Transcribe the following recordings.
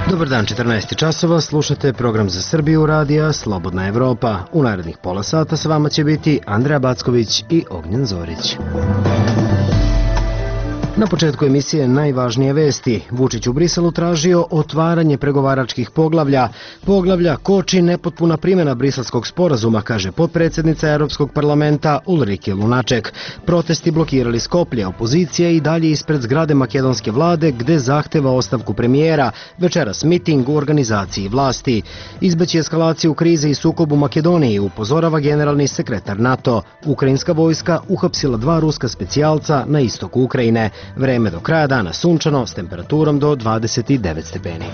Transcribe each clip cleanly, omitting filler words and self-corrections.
Dobar dan, 14 časova, slušate program za Srbiju radija Slobodna Evropa. U narednih pola sata s vama će biti Andreja Backović i Ognjen Zorić. Na početku emisije najvažnije vesti. Vučić u Briselu tražio otvaranje pregovaračkih poglavlja. Poglavlja koči nepotpuna primjena briselskog sporazuma, kaže potpredsjednica Europskog parlamenta Ulrike Lunaček. Protesti blokirali Skoplje, opozicija i dalje ispred zgrade makedonske vlade gde zahteva ostavku premijera. Večeras miting u organizaciji vlasti. Izbeći eskalaciju krize i sukob u Makedoniji, upozorava generalni sekretar NATO. Ukrajinska vojska uhapsila 2 ruska specijalca na istoku Ukrajine. Vreme do kraja dana sunčano s temperaturom do 29 stepeni.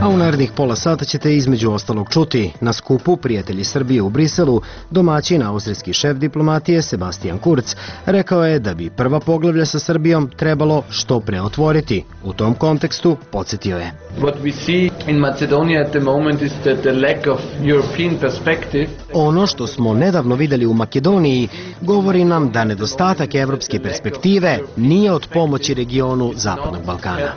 A u narednih pola sata ćete između ostalog čuti. Na skupu Prijatelji Srbije u Briselu domaćin austrijski šef diplomatije Sebastian Kurz rekao je da bi prva poglavlja sa Srbijom trebalo što pre otvoriti. U tom kontekstu podsjetio je. Ono što smo nedavno vidjeli u Makedoniji govori nam da nedostatak evropske perspektive nije od pomoći regionu Zapadnog Balkana.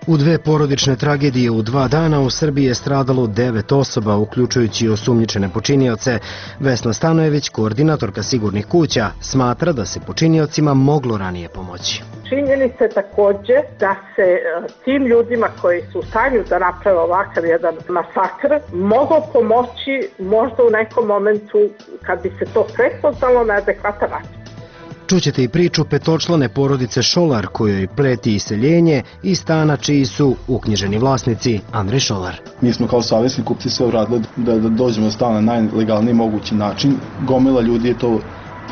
U 2 porodične tragedije u 2 dana u Srbiji je stradalo 9 osoba, uključujući osumnjičene počinioce. Vesna Stanojević, koordinatorka Sigurnih kuća, smatra da se počiniocima moglo ranije pomoći. Činjenica je također da se tim ljudima koji su u stanju da naprave ovakav jedan masakr moglo pomoći možda u nekom momentu kad bi se to prepoznalo na adekvatan način. Čućete i priču petočlane porodice Šolar kojoj preti iseljenje iz stana čiji su uknjiženi vlasnici. Andrej Šolar. Mi smo kao savjesni kupci sve uradili da dođemo do stana na najlegalniji mogući način. Gomila ljudi je to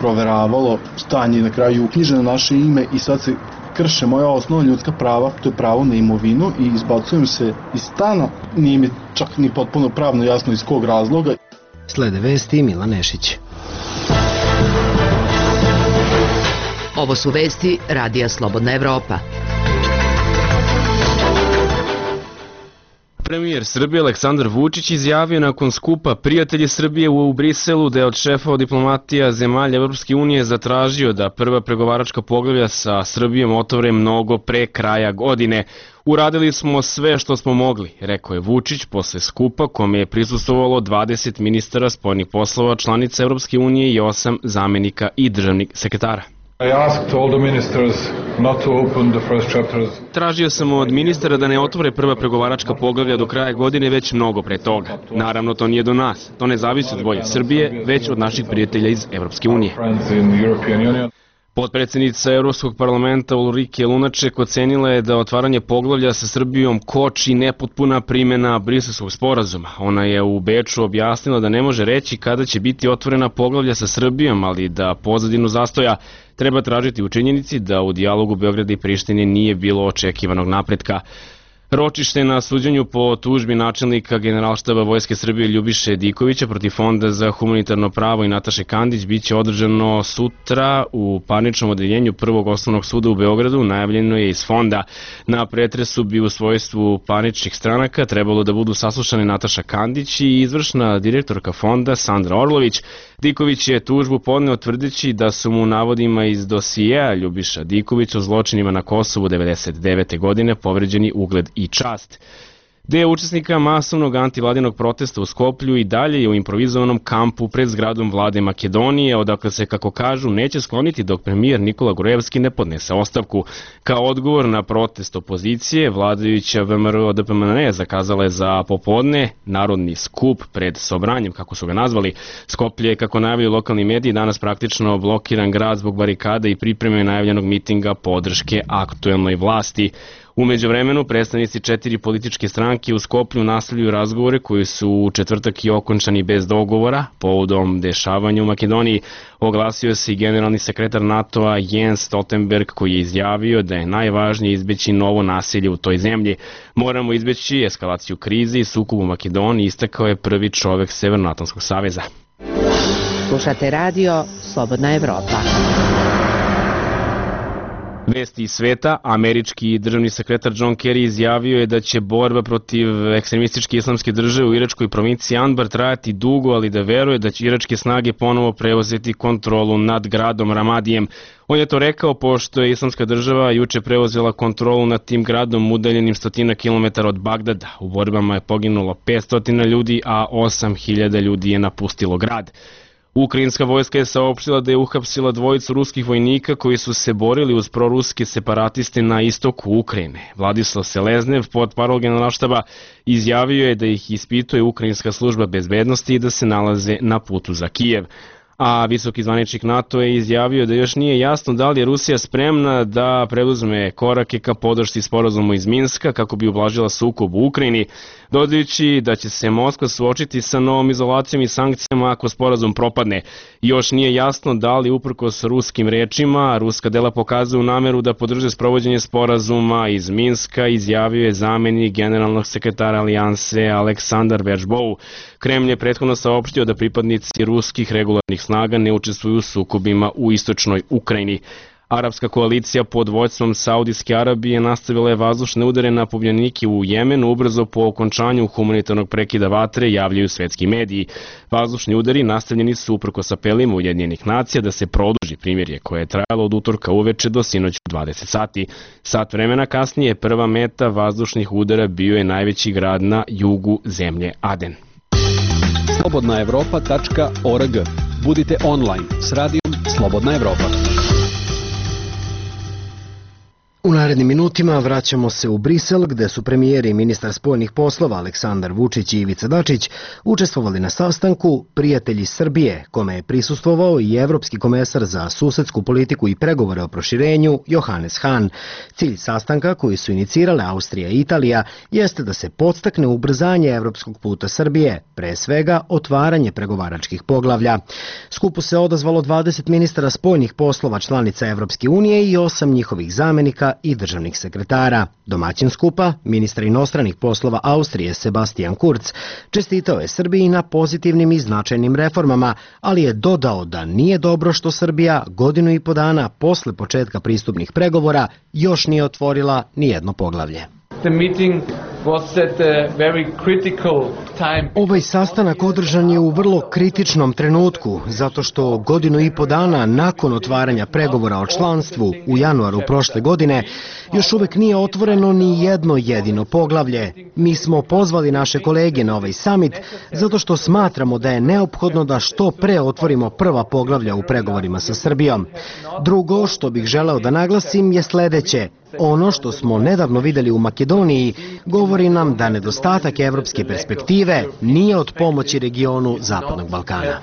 proveravalo, stan je na kraju uknjiženo naše ime i sad se krše moja osnovna ljudska prava, to je pravo na imovinu i izbacujem se iz stana. Nije mi čak ni potpuno pravno jasno iz kog razloga. Slede vesti Milan Nešić. Ovo su vesti radija Slobodna Evropa. Premijer Srbije Aleksandar Vučić izjavio nakon skupa Prijatelji Srbije u Briselu da je od šefova diplomatija zemalja Evropske unije zatražio da prva pregovaračka poglavlja sa Srbijom otvore mnogo pre kraja godine. Uradili smo sve što smo mogli, rekao je Vučić posle skupa kome je prisustvovalo 20 ministara spoljnih poslova članica Evropske unije i 8 zamenika i državnih sekretara. Tražio sam od ministara da ne otvore prva pregovaračka poglavlja do kraja godine već mnogo pre toga. Naravno, to nije do nas. To ne zavisi od volje Srbije, već od naših prijatelja iz Evropske unije. Potpredsjednica Europskog parlamenta Ulrike Lunaček ocenila je da otvaranje poglavlja sa Srbijom koči nepotpuna primjena briselskog sporazuma. Ona je u Beču objasnila da ne može reći kada će biti otvorena poglavlja sa Srbijom, ali da pozadinu zastoja treba tražiti u činjenici da u dijalogu Beograda i Prištine nije bilo očekivanog napretka. Ročište na suđenju po tužbi načelnika Generalštaba Vojske Srbije Ljubiše Dikovića protiv Fonda za humanitarno pravo i Nataše Kandić biće održano sutra u parničnom odeljenju Prvog osnovnog suda u Beogradu, najavljeno je iz Fonda. Na pretresu bi u svojstvu parničnih stranaka trebalo da budu saslušane Nataša Kandić i izvršna direktorka Fonda Sandra Orlović. Diković je tužbu podneo tvrdeći da su mu navodima iz dosijeja Ljubiša Dikovića o zločinima na Kosovu 1999. godine povređeni ugled i čast. Deo učesnika masovnog antivladinog protesta u Skoplju i dalje je u improvizovanom kampu pred zgradom vlade Makedonije, odakle se, kako kažu, neće skloniti dok premijer Nikola Grujevski ne podnese ostavku. Kao odgovor na protest opozicije, vladajuća VMRO-DPMNE zakazala je za popodne narodni skup pred Sobranjem, kako su ga nazvali. Skoplje je, kako najavljaju lokalni mediji, danas praktično blokiran grad zbog barikada i pripreme najavljenog mitinga podrške aktuelnoj vlasti. U međuvremenu, predstavnici 4 političke stranke u Skoplju nastavljaju razgovore koji su u četvrtak i okončani bez dogovora. Povodom dešavanja u Makedoniji oglasio se i generalni sekretar NATO-a Jens Stoltenberg, koji je izjavio da je najvažnije izbeći novo nasilje u toj zemlji. Moramo izbeći eskalaciju krize i sukob u Makedoniji, istakao je prvi čovek Severnoatlantskog saveza. Slušate radio Slobodna Evropa. Vesti iz sveta, američki državni sekretar John Kerry izjavio je da će borba protiv ekstremističke islamske države u iračkoj provinciji Anbar trajati dugo, ali da veruje da će iračke snage ponovo preuzeti kontrolu nad gradom Ramadijem. On je to rekao pošto je islamska država juče preuzela kontrolu nad tim gradom udaljenim 100 kilometara od Bagdada. U borbama je poginulo 500 ljudi, a 8.000 ljudi je napustilo grad. Ukrajinska vojska je saopštila da je uhapsila dvojicu ruskih vojnika koji su se borili uz proruske separatiste na istoku Ukrajine. Vladislav Seleznev, portparol Generalštaba, izjavio je da ih ispituje Ukrajinska služba bezbednosti i da se nalaze na putu za Kijev. A visoki zvaničnik NATO je izjavio da još nije jasno da li je Rusija spremna da preduzme korake ka podršci sporazumu iz Minska kako bi ublažila sukob u Ukrajini, dodajući da će se Moskva suočiti sa novom izolacijom i sankcijama ako sporazum propadne. Još nije jasno da li uprkos ruskim rečima ruska dela pokazuju nameru da podrže sprovođenje sporazuma iz Minska, izjavio je zamenik generalnog sekretara Alijanse Aleksandar Veržbou. Kremlj je prethodno saopštio da pripadnici ruskih regularnih snaga ne učestvuju u sukobima u istočnoj Ukrajini. Arapska koalicija pod vođstvom Saudijske Arabije nastavila je vazdušne udare na pobunjenike u Jemenu ubrzo po okončanju humanitarnog prekida vatre, javljaju svetski mediji. Vazdušni udari nastavljeni su uprkos apelima Ujedinjenih nacija da se produži primirje koje je trajalo od utorka uveče do sinoć u 20 sati. Sat vremena kasnije prva meta vazdušnih udara bio je najveći grad na jugu zemlje Aden. slobodnaevropa.org. Budite online s radijom Slobodna Evropa. U narednim minutima vraćamo se u Brisel, gde su premijeri i ministar spoljnih poslova Aleksandar Vučić i Ivica Dačić učestvovali na sastanku Prijatelji Srbije, kome je prisustvovao i evropski komesar za susedsku politiku i pregovore o proširenju Johannes Hahn. Cilj sastanka, koji su inicirale Austrija i Italija, jeste da se podstakne ubrzanje evropskog puta Srbije, pre svega otvaranje pregovaračkih poglavlja. Skupu se odazvalo 20 ministara spoljnih poslova članica Evropske unije i 8 njihovih zamenika i državnih sekretara. Domaćin skupa, ministar inostranih poslova Austrije Sebastian Kurz, čestitao je Srbiji na pozitivnim i značajnim reformama, ali je dodao da nije dobro što Srbija godinu i po dana posle početka pristupnih pregovora još nije otvorila nijedno poglavlje. Ovaj sastanak održan je u vrlo kritičnom trenutku, zato što godinu i po dana nakon otvaranja pregovora o članstvu u januaru prošle godine još uvek nije otvoreno ni jedno jedino poglavlje. Mi smo pozvali naše kolege na ovaj samit zato što smatramo da je neophodno da što pre otvorimo prva poglavlja u pregovorima sa Srbijom. Drugo što bih želeo da naglasim je sledeće. Ono što smo nedavno videli u Makedoniji govori nam da nedostatak evropske perspektive nije od pomoći regionu Zapadnog Balkana.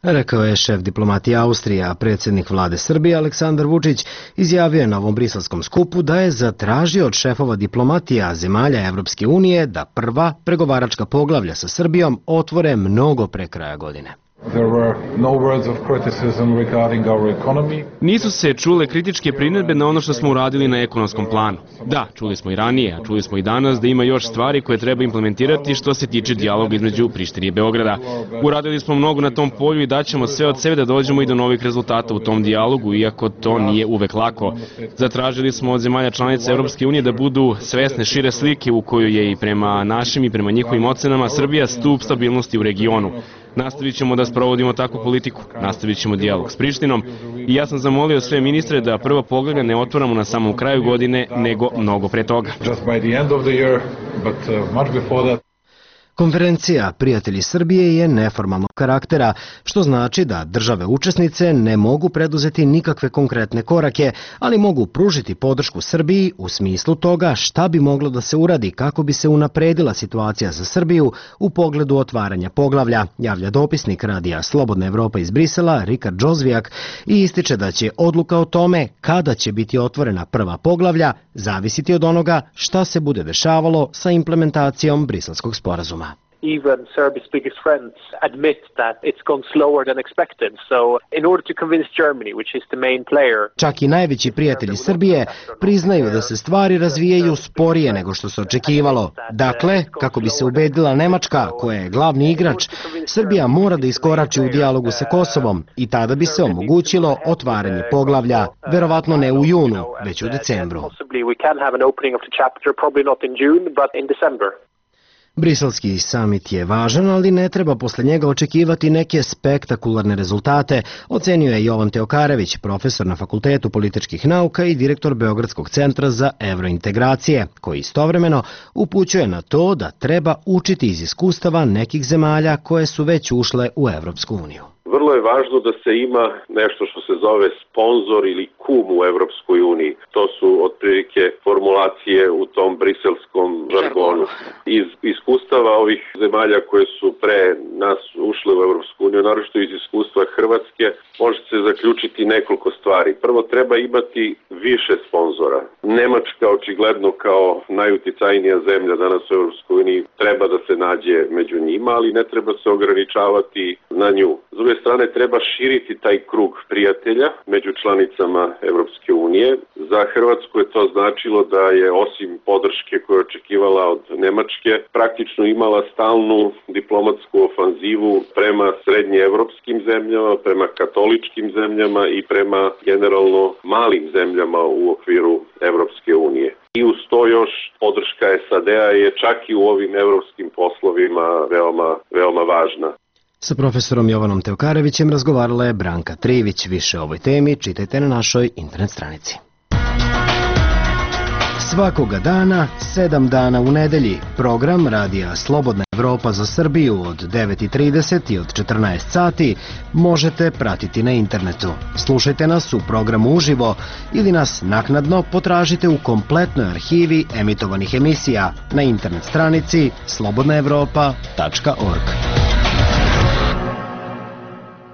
Rekao je šef diplomatije Austrije, a predsjednik vlade Srbije Aleksandar Vučić izjavio je na ovom briselskom skupu da je zatražio od šefova diplomatija zemalja Evropske unije da prva pregovaračka poglavlja sa Srbijom otvore mnogo pre kraja godine. Nisu se čule kritičke primjedbe na ono što smo uradili na ekonomskom planu. Da, čuli smo i ranije, a čuli smo i danas da ima još stvari koje treba implementirati što se tiče dijaloga između Prištine i Beograda. Uradili smo mnogo na tom polju i daćemo sve od sebe da dođemo i do novih rezultata u tom dijalogu, iako to nije uvek lako. Zatražili smo od zemalja članica Evropske unije da budu svesne šire slike u kojoj je i prema našim i prema njihovim ocenama Srbija stup stabilnosti u regionu. Nastavit ćemo da sprovodimo takvu politiku, nastavit ćemo dijalog s Prištinom i ja sam zamolio sve ministre da prva poglavlja ne otvaramo na samom kraju godine, nego mnogo pre toga. Konferencija Prijatelji Srbije je neformalnog karaktera, što znači da države učesnice ne mogu preduzeti nikakve konkretne korake, ali mogu pružiti podršku Srbiji u smislu toga šta bi moglo da se uradi kako bi se unapredila situacija za Srbiju u pogledu otvaranja poglavlja, javlja dopisnik radija Slobodna Evropa iz Brisela Rikard Džozvijak i ističe da će odluka o tome kada će biti otvorena prva poglavlja zavisiti od onoga šta se bude dešavalo sa implementacijom Briselskog sporazuma. even Serbia's biggest friends admit that it's gone slower than expected. So in order to convince Germany, which is the main player... Čak i najveći prijatelji Srbije priznaju da se stvari razvijaju sporije nego što se očekivalo. Dakle, kako bi se ubedila Nemačka, koja je glavni igrač, Srbija mora da iskorači u dijalogu sa Kosovom i tada bi se omogućilo otvaranje poglavlja, verovatno ne u junu, već u decembru. Briselski samit je važan, ali ne treba posle njega očekivati neke spektakularne rezultate, ocenio je Jovan Teokarević, profesor na Fakultetu političkih nauka i direktor Beogradskog centra za evrointegracije, koji istovremeno upućuje na to da treba učiti iz iskustava nekih zemalja koje su već ušle u Evropsku uniju. Vrlo je važno da se ima nešto što se zove sponzor ili kum u Evropskoj uniji. To su otprilike formulacije u tom briselskom žargonu. Iz iskustava ovih zemalja koje su pre nas ušle u Evropsku uniju, naročito iz iskustva Hrvatske, može se zaključiti nekoliko stvari. Prvo, treba imati više sponzora. Nemačka, očigledno kao najuticajnija zemlja danas u Evropskoj uniji, treba da se nađe među njima, ali ne treba se ograničavati na nju. S druge strane, treba širiti taj krug prijatelja među članicama Evropske unije. Za Hrvatsku je to značilo da je osim podrške koju je očekivala od Nemačke, praktično imala stalnu diplomatsku ofanzivu prema srednjeevropskim zemljama, prema katoličkim zemljama i prema generalno malim zemljama u okviru Evropske unije. I uz to još podrška SAD-a je čak i u ovim evropskim poslovima veoma važna. Sa profesorom Jovanom Teokarevićem razgovarala je Branka Trivić. Više o ovoj temi čitajte na našoj internet stranici. Svakoga dana, 7 dana u nedelji, program Radija Slobodna Evropa za Srbiju od 9:30 i od 14 sati možete pratiti na internetu. Slušajte nas u programu uživo ili nas naknadno potražite u kompletnoj arhivi emitovanih emisija na internet stranici slobodnaevropa.org.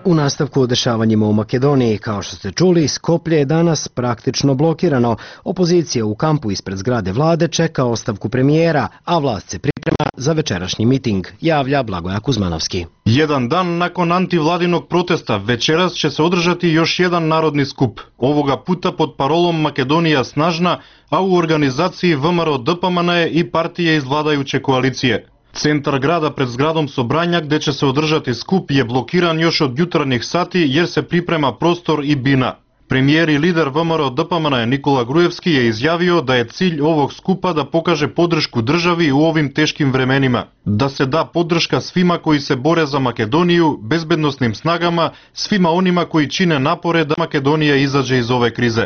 U nastavku o dešavanjima u Makedoniji, kao što ste čuli, Skoplje je danas praktično blokirano. Opozicija u kampu ispred zgrade vlade čeka ostavku premijera, a vlast se priprema za večerašnji miting, javlja Blagoja Kuzmanovski. Jedan dan nakon antivladinog protesta, večeras će se održati još jedan narodni skup. Ovoga puta pod parolom Makedonija snažna, a u organizaciji ВМРО ДПМН i partije iz vladajuće koalicije. Centar grada pred zgradom Sobranja, gde će se održati skup, je blokiran još od jutarnjih sati jer se priprema prostor i bina. Premijer i lider ВМРО ДПМН Nikola Grujevski je izjavio da je cilj ovog skupa da pokaže podršku državi u ovim teškim vremenima, da se da podrška svima koji se bore za Makedoniju, bezbednosnim snagama, svima onima koji čine napore da Makedonija izađe iz ove krize.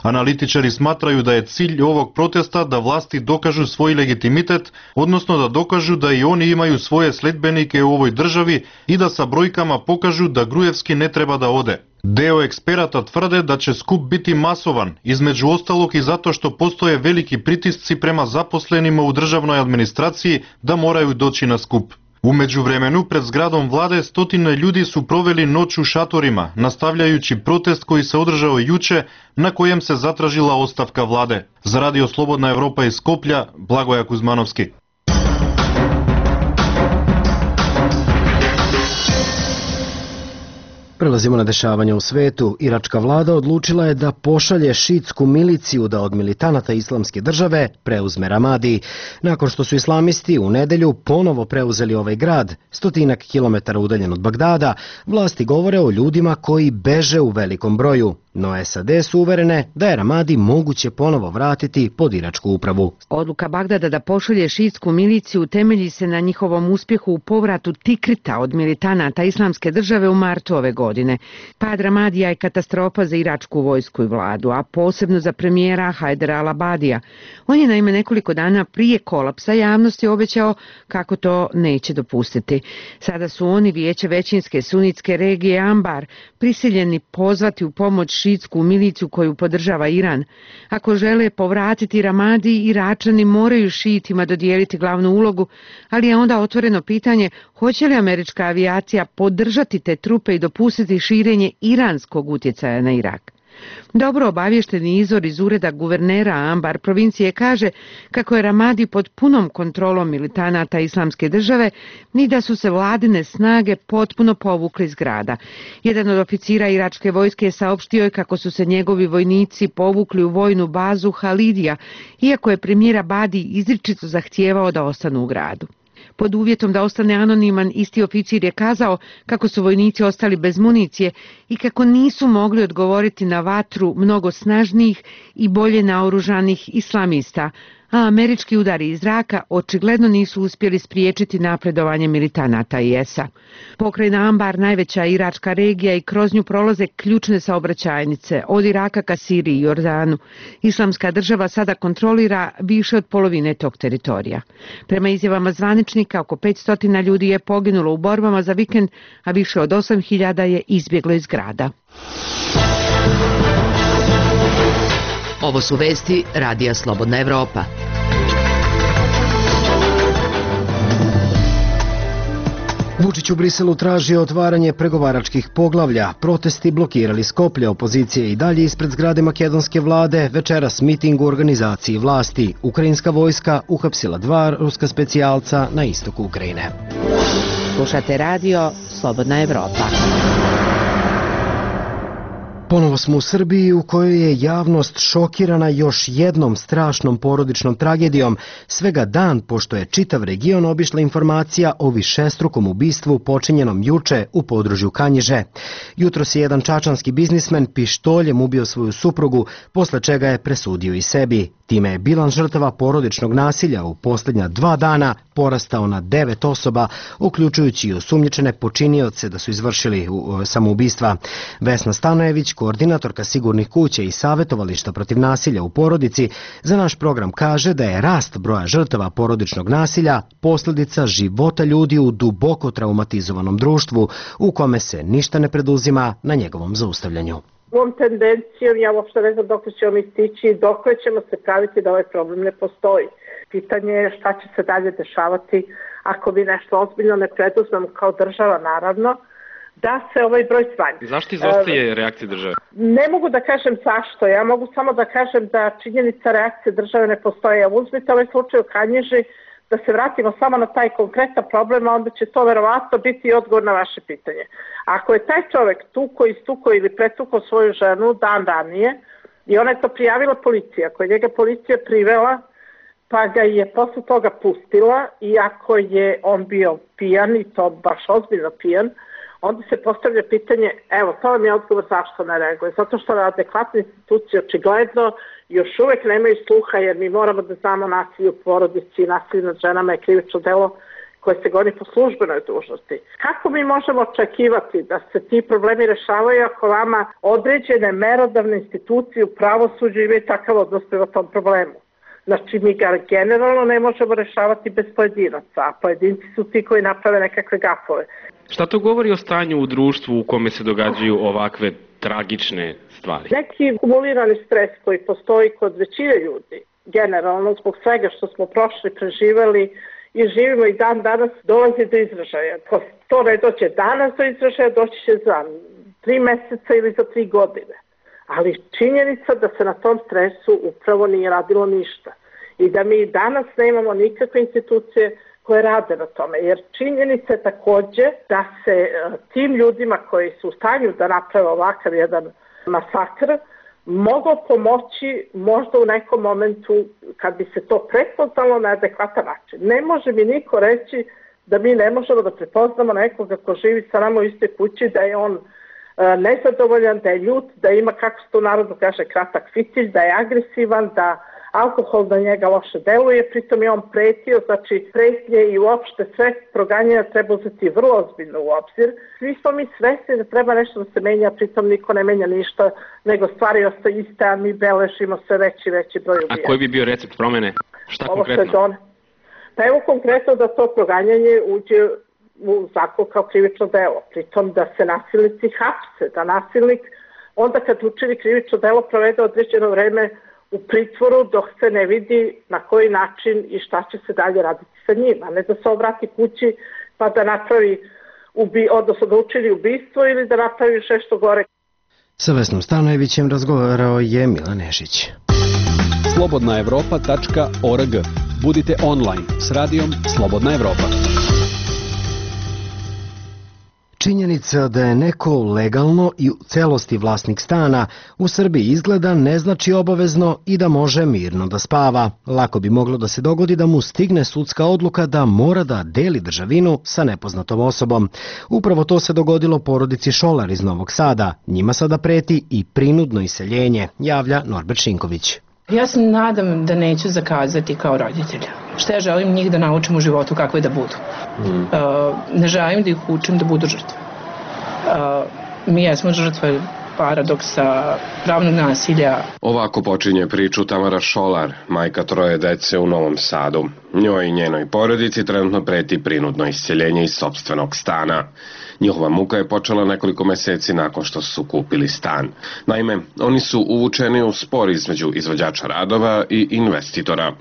Analitičari smatraju da je cilj ovog protesta da vlasti dokažu svoj legitimitet, odnosno da dokažu da i oni imaju svoje sledbenike u ovoj državi i da sa brojkama pokažu da Grujevski ne treba da ode. Deo eksperata tvrde da će skup biti masovan, između ostalog i zato što postoje veliki pritisci prema zaposlenima u državnoj administraciji da moraju doći na skup. U međuvremenu, pred zgradom vlade stotine ljudi su proveli noć u šatorima, nastavljajući protest koji se održao juče, na kojem se zatražila ostavka vlade. Za Radio Slobodna Evropa iz Skoplja, Blagoja Kuzmanovski. Prelazimo na dešavanja u svetu. Iračka vlada odlučila je da pošalje šiitsku miliciju da od militanata Islamske države preuzme Ramadi. Nakon što su islamisti u nedelju ponovo preuzeli ovaj grad, 100 kilometara udaljen od Bagdada, vlasti govore o ljudima koji beže u velikom broju. No SAD su uverene da je Ramadi moguće ponovo vratiti pod iračku upravu. Odluka Bagdada da pošalje šiitsku miliciju temelji se na njihovom uspjehu u povratu Tikrita od militanata Islamske države u martu ove godine. Pad Ramadija je katastrofa za iračku vojsku i vladu, a posebno za premijera Hajdara al-Abadija. On je naime nekoliko dana prije kolapsa javnosti obećao kako to neće dopustiti. Sada su oni vijeće većinske sunitske regije Anbar prisiljeni pozvati u pomoć šiitsku miliciju koju podržava Iran. Ako žele povratiti Ramadi, Iračani moraju šiitima dodijeliti glavnu ulogu, ali je onda otvoreno pitanje hoće li američka avijacija podržati te trupe i dopustiti širenje iranskog utjecaja na Irak. Dobro obavješteni izvor iz ureda guvernera Ambar provincije kaže kako je Ramadi pod punom kontrolom militanata Islamske države ni da su se vladine snage potpuno povukli iz grada. Jedan od oficira iračke vojske saopštio je kako su se njegovi vojnici povukli u vojnu bazu Halidija, iako je premijer Abadi izričito zahtijevao da ostanu u gradu. Pod uvjetom da ostane anoniman, isti oficir je kazao kako su vojnici ostali bez municije i kako nisu mogli odgovoriti na vatru mnogo snažnijih i bolje naoružanih islamista, a američki udari iz zraka očigledno nisu uspjeli spriječiti napredovanje militanata IS-a. Pokrajina Ambar, najveća iračka regija, i kroz nju prolaze ključne saobraćajnice od Iraka ka Siriji i Jordanu. Islamska država sada kontrolira više od polovine tog teritorija. Prema izjavama zvaničnika, oko 500 ljudi je poginulo u borbama za vikend, a više od 8.000 je izbjeglo iz grada. Ovo su vesti Radija Slobodna Evropa. Vučić u Briselu tražio otvaranje pregovaračkih poglavlja. Protesti blokirali Skoplje, opozicije i dalje ispred zgrade makedonske vlade. Večeras miting u organizaciji vlasti. Ukrajinska vojska uhapsila 2 ruska specijalca na istoku Ukrajine. Slušate radio Slobodna Evropa. Ponovo smo u Srbiji, u kojoj je javnost šokirana još jednom strašnom porodičnom tragedijom, svega dan pošto je čitav region obišla informacija o višestrukom ubistvu počinjenom juče u području Kanjiže. Jutros je jedan čačanski biznismen pištoljem ubio svoju suprugu, posle čega je presudio i sebi. Time je bilans žrtava porodičnog nasilja u posljednja 2 dana porastao na 9 osoba, uključujući i osumnjičene počinioce da su izvršili samoubistva. Vesna Stanojević, koordinatorka Sigurnih kuća i savjetovališta protiv nasilja u porodici, za naš program kaže da je rast broja žrtava porodičnog nasilja posljedica života ljudi u duboko traumatizovanom društvu u kome se ništa ne preduzima na njegovom zaustavljanju. Ovom tendencijom ja uopšte ne znam dok ćemo mi stići i dok ćemo se praviti da ovaj problem ne postoji. Pitanje je šta će se dalje dešavati ako bi nešto ozbiljno ne preduzmemo kao država, naravno, da se ovaj broj smanji. Zašto izostaje reakcija države? Ne mogu da kažem zašto, ja mogu samo da kažem da činjenica reakcije države ne postoji. Ja uzmite ovaj slučaj u Kanjiži, da se vratimo samo na taj konkretan problem, a onda će to verovatno biti odgovor na vaše pitanje. Ako je taj čovjek istukao ili pretukao svoju ženu dan ranije i ona je to prijavila policiji, ako je njega policija privela pa ga je posle toga pustila i ako je on bio pijan i to baš ozbiljno pijan, onda se postavlja pitanje, evo to vam je odgovor zašto ne reaguje, zato što adekvatne institucije očigledno još uvek nemaju sluha, jer mi moramo da znamo nasilje u porodici i nasilje nad ženama je krivično delo koje se goni po službenoj dužnosti. Kako mi možemo očekivati da se ti problemi rešavaju ako vama određene merodavne institucije u pravosuđu imaju takav odnos prema tom problemu? Znači, mi ga generalno ne možemo rešavati bez pojedinaca, a pojedinci su ti koji naprave nekakve gafove. Šta to govori o stanju u društvu u kome se događaju ovakve tragične stvari? Neki kumulirani stres koji postoji kod većine ljudi, generalno zbog svega što smo prošli, preživeli i živimo i dan danas, dolazi do izražaja. Ako to ne dođe danas do izražaja, doći će za 3 meseca ili za 3 godine. Ali činjenica da se na tom stresu upravo nije radilo ništa i da mi danas nemamo nikakve institucije koje rade na tome, jer činjenica je također da se tim ljudima koji su u stanju da naprave ovakav jedan masakr moglo pomoći možda u nekom momentu kad bi se to prepoznalo na adekvatan način. Ne može mi niko reći da mi ne možemo da prepoznamo nekoga ko živi sa nama u istoj kući, da je on nezadovoljan, da je ljut, da ima, kako se to narodno kaže, kratak fitilj, da je agresivan, da alkohol na njega loše deluje, pritom je on pretio, znači pretnje i uopšte sve proganjanja treba uzeti vrlo ozbiljno u obzir. Svi smo mi svesni da treba nešto da se menja, pritom niko ne menja ništa, nego stvari ostaju iste, a mi beležimo sve veći broj ubijanja. A koji bi bio recept promene? Šta konkretno? Pa evo konkretno da to proganjanje uđe u zakon kao krivično delo, pritom da se nasilnici hapse, da nasilnik onda kad učini krivično delo provede određeno vreme u pritvoru dok se ne vidi na koji način i šta će se dalje raditi sa njim, a ne da se obrati kući pa da napravi, odnosno da učini ubistvo ili da napravi još nešto gore. Sa Vesnom Stanojevićem razgovarao je Milan Nešić. slobodnaevropa.org. Budite online s radijom Slobodna Evropa. Činjenica da je neko legalno i u celosti vlasnik stana u Srbiji izgleda ne znači obavezno i da može mirno da spava. Lako bi moglo da se dogodi da mu stigne sudska odluka da mora da deli državinu sa nepoznatom osobom. Upravo to se dogodilo porodici Šolar iz Novog Sada. Njima sada preti i prinudno iseljenje, javlja Norbert Šinković. Ja se nadam da neću zakazati kao roditelja. Šta ja želim njih da naučim u životu kakve da budu. Ne želim da ih učim da budu žrtve. Mi jesmo žrtve paradoksa, pravnog nasilja. Ovako počinje priču Tamara Šolar, majka 3 dece u Novom Sadu. Njoj i njenoj porodici trenutno preti prinudno iseljenje iz sopstvenog stana. Njihova muka je počela nekoliko meseci nakon što su kupili stan. Naime, oni su uvučeni u spor između izvođača radova i investitora.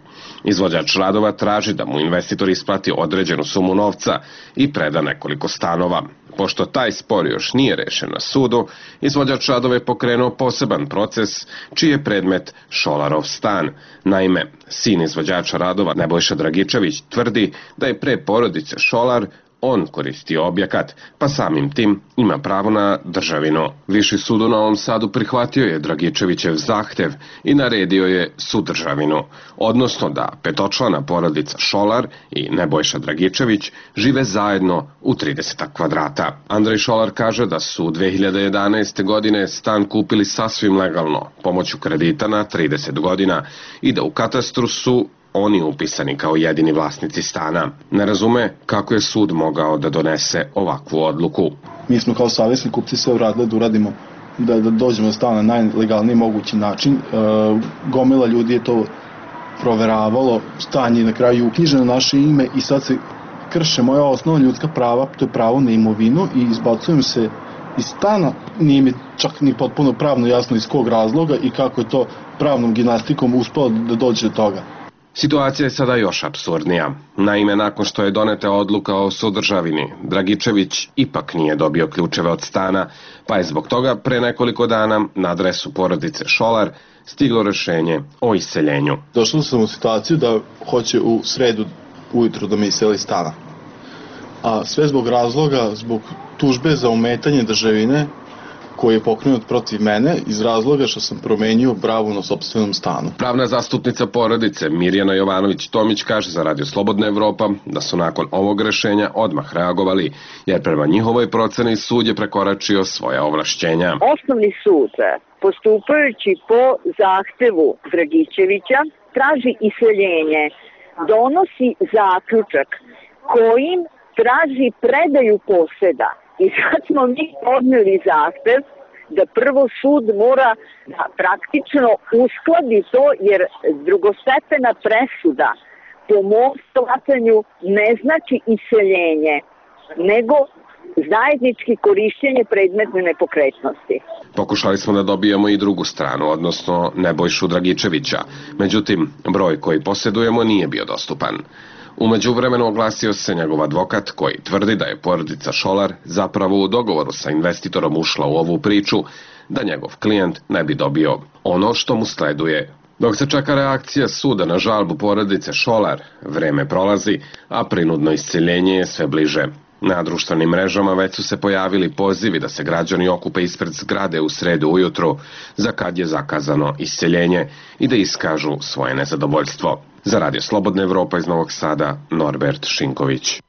Izvođač radova traži da mu investitor isplati određenu sumu novca i preda nekoliko stanova. Pošto taj spor još nije rešen na sudu, izvođač radova je pokrenuo poseban proces čiji je predmet Šolarov stan. Naime, sin izvođača radova Nebojša Dragičević tvrdi da je pre porodice Šolar on koristi objekat, pa samim tim ima pravo na državinu. Viši sud u Novom Sadu prihvatio je Dragičevićev zahtev i naredio je sudržavinu, odnosno da petočlana porodica Šolar i Nebojša Dragičević žive zajedno u 30 kvadrata. Andrej Šolar kaže da su 2011. godine stan kupili sasvim legalno, pomoću kredita na 30 godina i da u katastru su oni upisani kao jedini vlasnici stana. Ne razume kako je sud mogao da donese ovakvu odluku. Mi smo kao savjesni kupci sve uradili da uradimo, da dođemo do stana na najlegalniji mogući način. Gomila ljudi je to proveravalo, stan je na kraju uknjiženo na naše ime i sad se krše moja osnovna ljudska prava, to je pravo na imovinu i izbacujem se iz stana. Nije mi čak ni potpuno pravno jasno iz kog razloga i kako je to pravnom gimnastikom uspelo da dođe do toga. Situacija je sada još apsurdnija. Naime, nakon što je doneta odluka o sudržavini, Dragičević ipak nije dobio ključeve od stana, pa je zbog toga pre nekoliko dana na adresu porodice Šolar stiglo rešenje o iseljenju. Došao sam u situaciju da hoće u sredu ujutru da me iseli stana. A sve zbog razloga, zbog tužbe za ometanje državine koji je pokrenut protiv mene iz razloga što sam promenio bravu na sopstvenom stanu. Pravna zastupnica porodice Mirjana Jovanović-Tomić kaže za Radio Slobodna Evropa da su nakon ovog rešenja odmah reagovali, jer prema njihovoj proceni sud je prekoračio svoja ovlašćenja. Osnovni sud, postupajući po zahtevu Dragičevića, traži iseljenje, donosi zaključak kojim traži predaju poseda. I sad smo mi podneli zahtev da prvo sud mora da praktično uskladi to, jer drugostepena presuda po mom shvatanju ne znači iseljenje, nego zajednički korišćenje predmetne nepokretnosti. Pokušali smo da dobijemo i drugu stranu, odnosno Nebojšu Dragičevića. Međutim, broj koji posjedujemo nije bio dostupan. U međuvremenu oglasio se njegov advokat koji tvrdi da je porodica Šolar zapravo u dogovoru sa investitorom ušla u ovu priču, da njegov klijent ne bi dobio ono što mu sleduje. Dok se čeka reakcija suda na žalbu porodice Šolar, vreme prolazi, a prinudno isceljenje je sve bliže. Na društvenim mrežama već su se pojavili pozivi da se građani okupe ispred zgrade u sredu ujutru, za kad je zakazano isceljenje i da iskažu svoje nezadovoljstvo. Za Radio Slobodna Evropa iz Novog Sada, Norbert Šinković.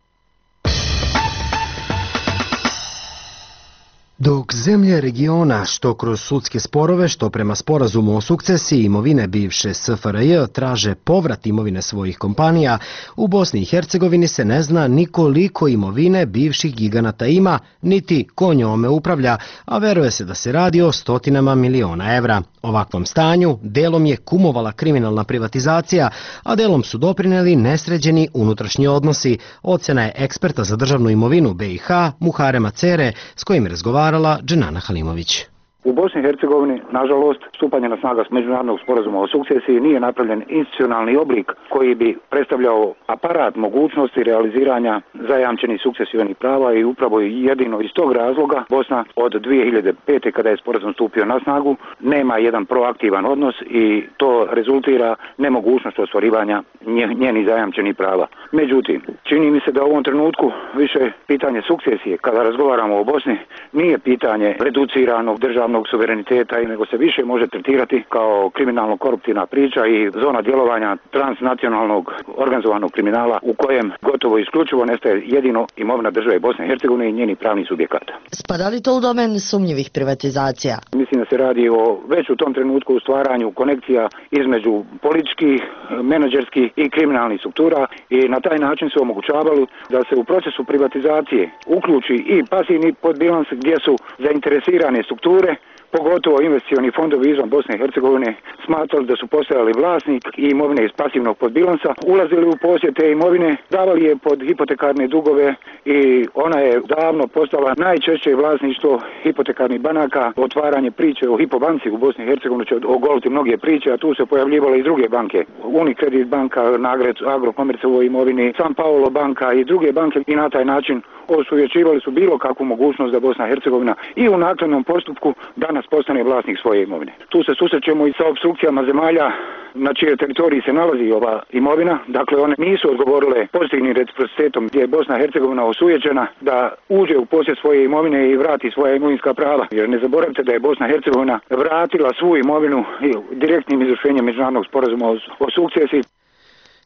Dok zemlje regiona, što kroz sudske sporove, što prema sporazumu o sukcesiji imovine bivše SFRJ traže povrat imovine svojih kompanija, u Bosni i Hercegovini se ne zna ni koliko imovine bivših giganata ima, niti ko njome upravlja, a veruje se da se radi o stotinama miliona evra. Ovakvom stanju delom je kumovala kriminalna privatizacija, a delom su doprineli nesređeni unutrašnji odnosi, ocena je eksperta za državnu imovinu BiH Muharema Cere, s kojim razgovarala Dženana Halimović. U Bosni i Hercegovini, nažalost, stupanje na snagu međunarodnog sporazuma o sukcesiji nije napravljen institucionalni oblik koji bi predstavljao aparat mogućnosti realiziranja zajamčenih sukcesivnih prava i upravo jedino iz tog razloga Bosna od 2005. kada je sporazum stupio na snagu nema jedan proaktivan odnos i to rezultira nemogućnost ostvarivanja njenih zajamčenih prava. Međutim, čini mi se da u ovom trenutku više pitanje sukcesije kada razgovaramo o Bosni nije pitanje reduciranog državnog suvereniteta, nego se više može tretirati kao kriminalno-koruptivna priča i zona djelovanja transnacionalnog organizovanog kriminala u kojem gotovo isključivo nestaje jedino imovina države Bosne i Hercegovine i njenih pravnih subjekata. Spada li to u domen sumnjivih privatizacija? Mislim da se radi o već u tom trenutku u stvaranju konekcija između političkih, menadžerskih i kriminalnih struktura i na taj način se omogućavalo da se u procesu privatizacije uključi i pasivni podbilans gdje su zainteresirane strukture, pogotovo investicioni fondovi izvan Bosne i Hercegovine, smatrali da su postojali vlasnik i imovine iz pasivnog podbilansa, ulazili u posjed te imovine, davali je pod hipotekarne dugove i ona je davno postala najčešće vlasništvo hipotekarnih banaka. Otvaranje priče o Hipobanci u Bosni i Hercegovini će ogoliti mnoge priče, a tu se pojavljivale i druge banke. Unicredit banka, Nagrec, Agrokomerc u imovini, San Paolo banka i druge banke i na taj način osuvjećivali su bilo kakvu mogućnost da Bosna i Hercegovina i u naknadnom postupku danas postane vlasnik svoje imovine. Tu se susrećemo i sa opstrukcijama zemalja na čijoj teritoriji se nalazi ova imovina, dakle one nisu odgovorile pozitivnim reciprocitetom gdje je Bosna i Hercegovina osujećena da uđe u posjed svoje imovine i vrati svoja imovinska prava. Jer ne zaboravite da je Bosna i Hercegovina vratila svu imovinu direktnim izvršenjem međunarodnog sporazuma o sukcesiji.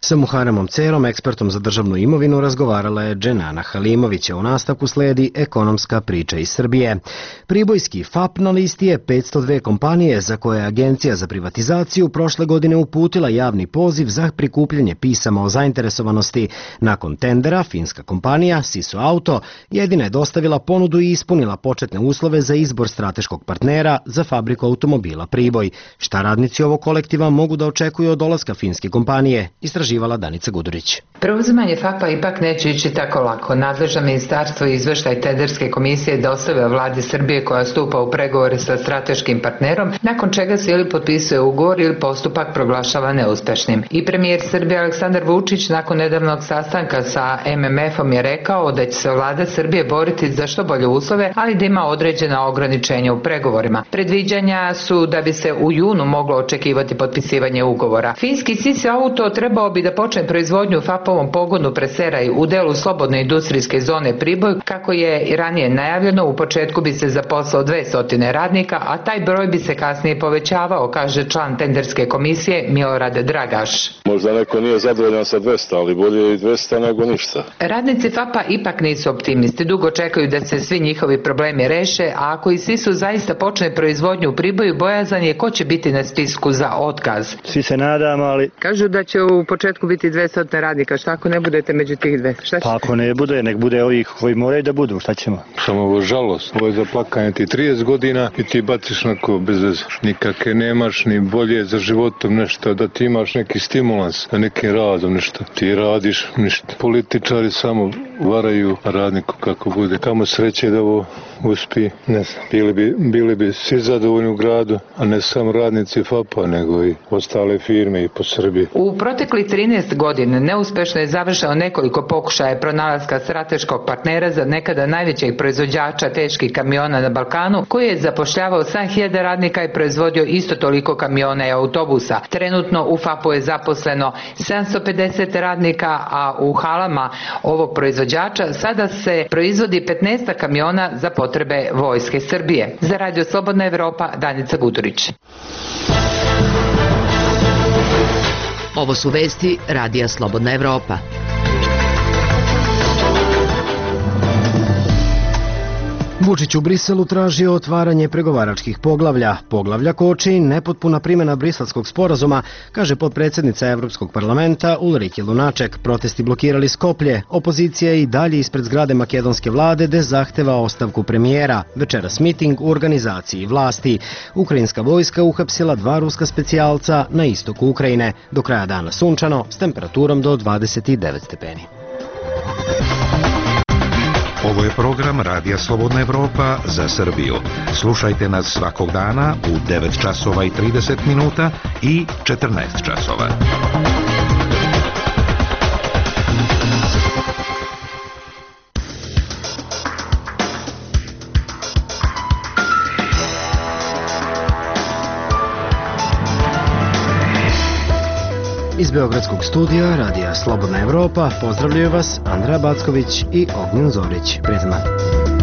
Sa Muharemom Cerom, ekspertom za državnu imovinu, razgovarala je Dženana Halimović, a u nastavku sledi ekonomska priča iz Srbije. Pribojski FAP na listi je 502 kompanije za koje je Agencija za privatizaciju prošle godine uputila javni poziv za prikupljanje pisama o zainteresovanosti. Nakon tendera, finska kompanija Siso Auto jedina je dostavila ponudu i ispunila početne uslove za izbor strateškog partnera za fabriku automobila Priboj. Šta radnici ovog kolektiva mogu da očekuju od dolaska finske kompanije? Istraživala Danica Gudurić. Preuzimanje FAP-a ipak neće ići tako lako. Nadležno ministarstvo i izveštaj tenderske komisije dostavlja vladi Srbije koja stupa u pregovore sa strateškim partnerom, nakon čega se ili potpisuje ugovor ili postupak proglašava neuspešnim. I premijer Srbije Aleksandar Vučić nakon nedavnog sastanka sa MMF-om je rekao da će se vlada Srbije boriti za što bolje uslove, ali da ima određena ograničenja u pregovorima. Predviđanja su da bi se u junu moglo očekivati potpisivanje ugovora. Finski Siso Auto trebao bi da počne proizvodnju u FAP-ovom pogonu Preseraj u delu slobodne industrijske zone Priboj, kako je i ranije najavljeno. U početku bi se zaposlao 200 radnika, a taj broj bi se kasnije povećavao, kaže član tenderske komisije Milorad Dragaš. Možda neko nije zadovoljan sa 200, ali bolje i 200 nego ništa. Radnici FAP-a ipak nisu optimisti, dugo čekaju da se svi njihovi problemi reše, a ako i Sisu zaista počne proizvodnju u Priboju, bojazan je ko će biti na spisku za otkaz. Svi se nadamo, ali... Kažu da će u početku biti 200 radnika, šta ako ne budete među tih 200? Pa ako ne bude, nek bude ovih koji moraju da budu, šta ćemo? Samo ovo žalost, ovo je za plakanje ti 30 godina i ti baciš nako bez veze. Nikakve nemaš ni bolje za životom nešto, da ti imaš neki stimulans, da nekim radom nešto. Ti radiš ništa. Političari samo varaju radniku kako bude. Kamo sreće da ovo uspi, ne znam. Bili bi svi zadovoljni u gradu, a ne samo radnici FAP-a, nego i ostale firme i po Srbiji. U protekli 13 godina neuspešno je završeno nekoliko pokušaja pronalaska strateškog partnera za nekada najvećeg proizvođača teških kamiona na Balkanu, koji je zapošljavao 7.000 radnika i proizvodio isto toliko kamiona i autobusa. Trenutno u FAP-u je zaposleno 750 radnika, a u halama ovog proizvođača sada se proizvodi 15 kamiona za potrebe Vojske Srbije. Za Radio Slobodna Evropa, Danica Gudurić. Ovo su vesti Radija Slobodna Evropa. Vučić u Briselu tražio otvaranje pregovaračkih poglavlja. Poglavlja koči nepotpuna primjena briselskog sporazuma, kaže potpredsjednica Evropskog parlamenta Ulrike Lunaček. Protesti blokirali Skoplje. Opozicija je i dalje ispred zgrade makedonske vlade gde zahteva ostavku premijera. Večeras miting u organizaciji vlasti. Ukrajinska vojska uhapsila 2 ruska specijalca na istoku Ukrajine. Do kraja dana sunčano s temperaturom do 29 stepeni. Ovo je program Radija Slobodna Evropa za Srbiju. Slušajte nas svakog dana u 9 časova i 30 minuta i 14 časova. Iz Beogradskog studija Radija Slobodna Evropa pozdravljaju vas Andreja Backović i Ognjen Zorić. Prijetan dan.